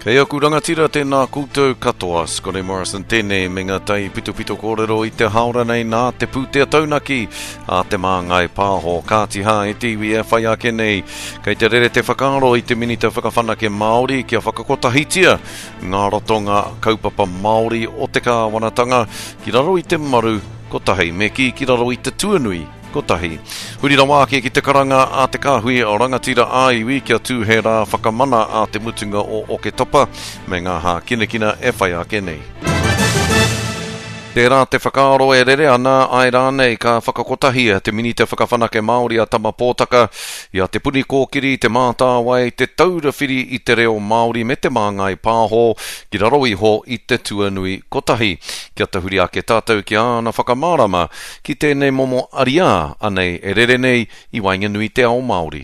Kei aku rangatira tēnā koutou katoa, Scotty Morrison tēnei me ngā tai pitopito kōrero i te haora nei nā te pūtea taunaki a Te Māngai Pāho. Kāti hā e te iwi e whai ake nei, kei te rere te whakaaro i te Minita Whakawhanake Māori kia whakakotahitia ngā ratonga kaupapa Māori o te kāwanatanga ki raro i te maru kotahi, me kī ki raro i te tuanui kotahi. Huri rawa ake ki te karanga a te kāhui rangatira ā-iwi kia tū he rā whakamana a te mutunga o Oketopa me ngā hākinakina e whai ake nei. Tērā te whakaaro e rere ana, āe rānei ka whakakotahia te Minita Whakawhanake Māori a Tama Pōtaka i a Te Puni Kōkiri, Te Mātāwai, Te Taura Whiri i te Reo Māori me Te Māngai Pāho ki raro iho i te tuanui kotahi. Kia tahuri ake tātou ki āna whakamārama Ki tēnei momo ariā, anei e rere nei i waenganui i te ao Māori.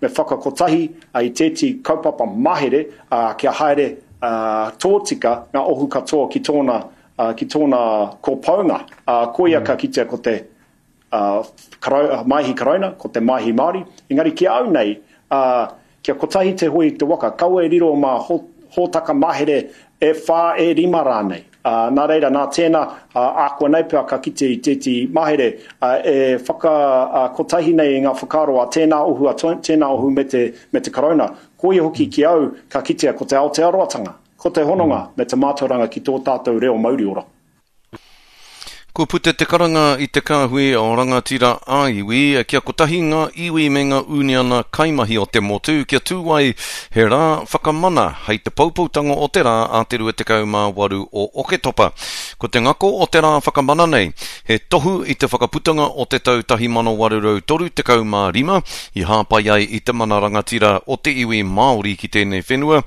Me whakakotahi i tēti kaupapa mahere kia haere tōtika ngā ohu katoa ki tōna, ki tōna kopounga. Koia ka kitea ko te Maihi Karauna, ko te Maihi Māori. Engari ki a au nei, Kia kotahi te hoe i te waka, kaua e riro mā hōtaka mahere e whā, e rima rānei. Nā reira, nā tēnā, ākuanei pea ka kite i tētehi mahere e whakakotahi nei i ngā whakaaro a tēnā ohu, a tēnā ohu me te, me te Karauna. Koia hoki ki au ka kitea ko te Aotearoatanga, ko te hononga me te mātauranga ki tō tātou reo mauriora. Kua puta te karanga i te kāhui rangatira ā-iwi kia kotahi ngā iwi me ngā ūniana kaimahi o te motu kia tū ai he rā whakamana hei te poupoutanga o te rā a te 28 o Oketopa. Ko te ngako o te rā whakamana nei, he tohu i te whakaputanga o te tau 1835 i hāpai ai i te mana rangatira o te iwi Māori ki tēnei whenua,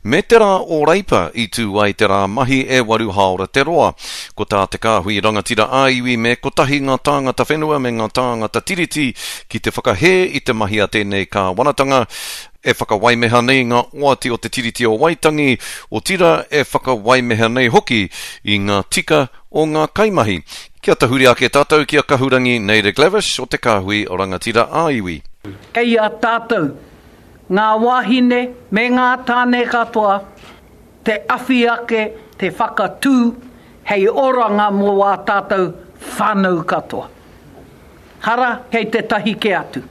Me te rā o Reipa i tū ai te rā mahi e waru hāora te roa. Ko tā te kāhui rangatira ā-iwi me kotahi ngā tāngata whenua me ngā tāngata tiriti ki te whakahē i te mahi a tēnei kāwanatanga e whakawaimeha nei ngā oati o te Tiriti o Waitangi, otira e whakawaimeha nei hoki i ngā tika o ngā kaimahi. Kia tahuri ake tātou ki a Kahurangi Naida Glavish o te Kāhui Rangatira ā-Iwi. Kei a tātou ngā wāhine me ngā tāne katoa te awhi ake, te whakatū hei oranga mō ā tātou whānau katoa. Hara kei tētahi kē atu.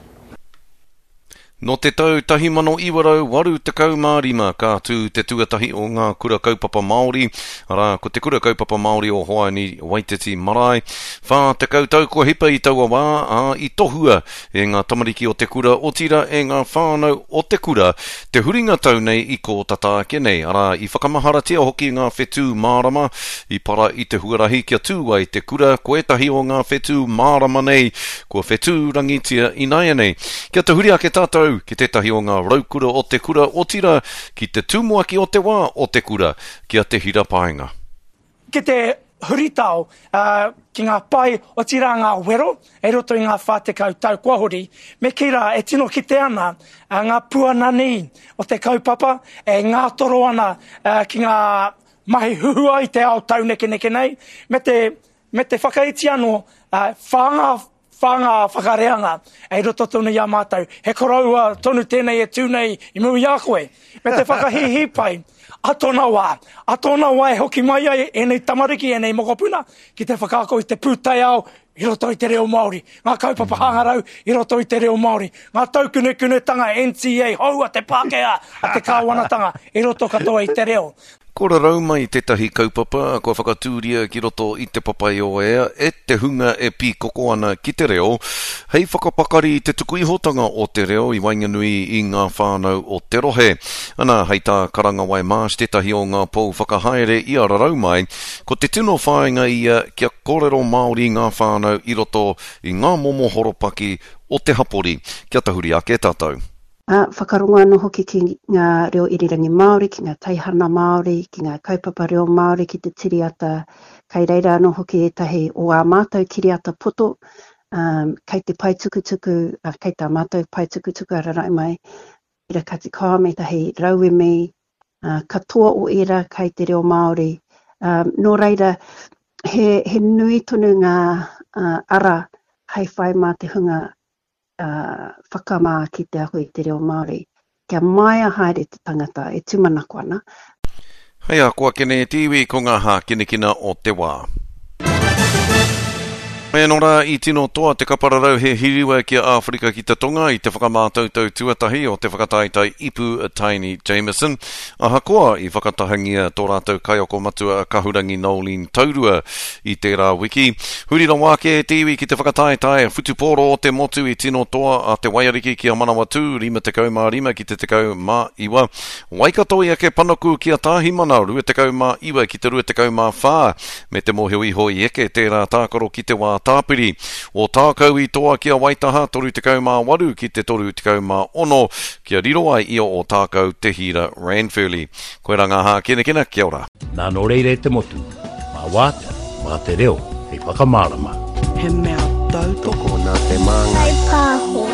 Nō te tau 1985 ka tū te tuatahi o ngā kura kaupapa Māori, arā, ko Te Kura Kaupapa Māori o Hoani Waititi Marae. 40 tau kua hipa i taua wā, ā, i tohua e ngā tamariki o te kura, otirā e ngā whānau o te kura, te huringa tau nei i kō tata ake nei, arā, i whakamaharatia hoki ngā whetū mārama i para i te huarahi kia tū ai te kura, ko ētahi o ngā whetū mārama nei kua whetū rangitia ināianei. Kia tahuri ake tātou ki tētahi o ngā raukura o te kura, otirā, ki te tumuaki o te wā o te kura, ki a Te Hira Paenga. Ki te huritao ki ngā pae, otirā ngā wero i roto i ngā 40 tau kua hori, me kī rā e tino kite ana ngā puananī o te kaupapa e ngātoro ana ki ngā mahi huhua i te ao taunekeneke nei, me te, me te whakaiti anō, whānga Whānga whakareanga i roto tonu i a mātou. He koroua tonu tēnei e tū nei i mua i a koe. Me te whakahīhī pai, a tōna wā, a tōna wā e hoki mai ai ēnei tamariki, ēnei mokopuna ki te whakaako i te pūtaiao i roto i te reo Māori, ngā kaupapa hangarau i roto i te reo Māori, ngā taukunekunetanga NTA hou a te Pākehā, a te kāwanatanga i roto katoa i te reo. Ko rarau mai tētahi kaupapa kua whakatūria ki roto i Te Papaioea e te hunga e pīkoko ana ki te reo, hei whakapakari i te tukuihotanga o te reo i waenganui i ngā whānau o te rohe. Ana, hei tā Karangawai Marsh tētahi o ngā pou whakahaere i a Rarau Mai, ko te tino whāinga ia kia kōrero Māori ngā whānau i roto i ngā momo horopaki o te hapori. Kia tahuri ake tātou. Ā, whakarongo anō hoki ki ngā reo irirangi Māori, ki ngā teihana Māori, ki ngā kaupapa reo Māori, ki te tiriata. Kei reira anō hoki ētahi o ā mātou kiriata poto, ā, kei te pae tukutuku, ā, kei tā mātou pae tukutuku a Rarae Mai, reira ka tikao ētahi rauemi, ā, katoa o ērā kei te reo Māori. Ā, nō reira, he, he nui tonu ngā, ā, ara hei whai mā te hunga whakamā ki te ako i te reo Māori. Kia māia haere te tangata e tūmanako ana. Hei a koa kene e te iwi ko ngā hākinakina o te wā. Mai anō rā i tino toa te kapararau he hiriwa ki a Āwherika ki te Tonga i te whakamātautau tuatahi o te whakataetae ipu Taini Jamison. Ahakoa i whakatahangia tō rātou kaiako matua a Kahurangi Noeline Taurua i tērā wiki, huri rawa ake te iwi ki te whakataetae whutupōro o te motu i tino toa a Te Waiariki ki a Manawatū 55 ki te 19. Waikato i eke panaku ki a Tāhimana 29 ki te 24, me te mōhio iho i eke tērā tākaro ki te wā tāpiri. Ōtākou i toa ki a Waitaha 38 ki te 36, kia riro ai i a Ōtākou te hīra Ranfurly. Koirā ngā hākinakina, kia ora. Nā nō reira e te motu, mā Wātea, mā te reo hei whakamārama. He mea tautoko nā te māngai. Pāho.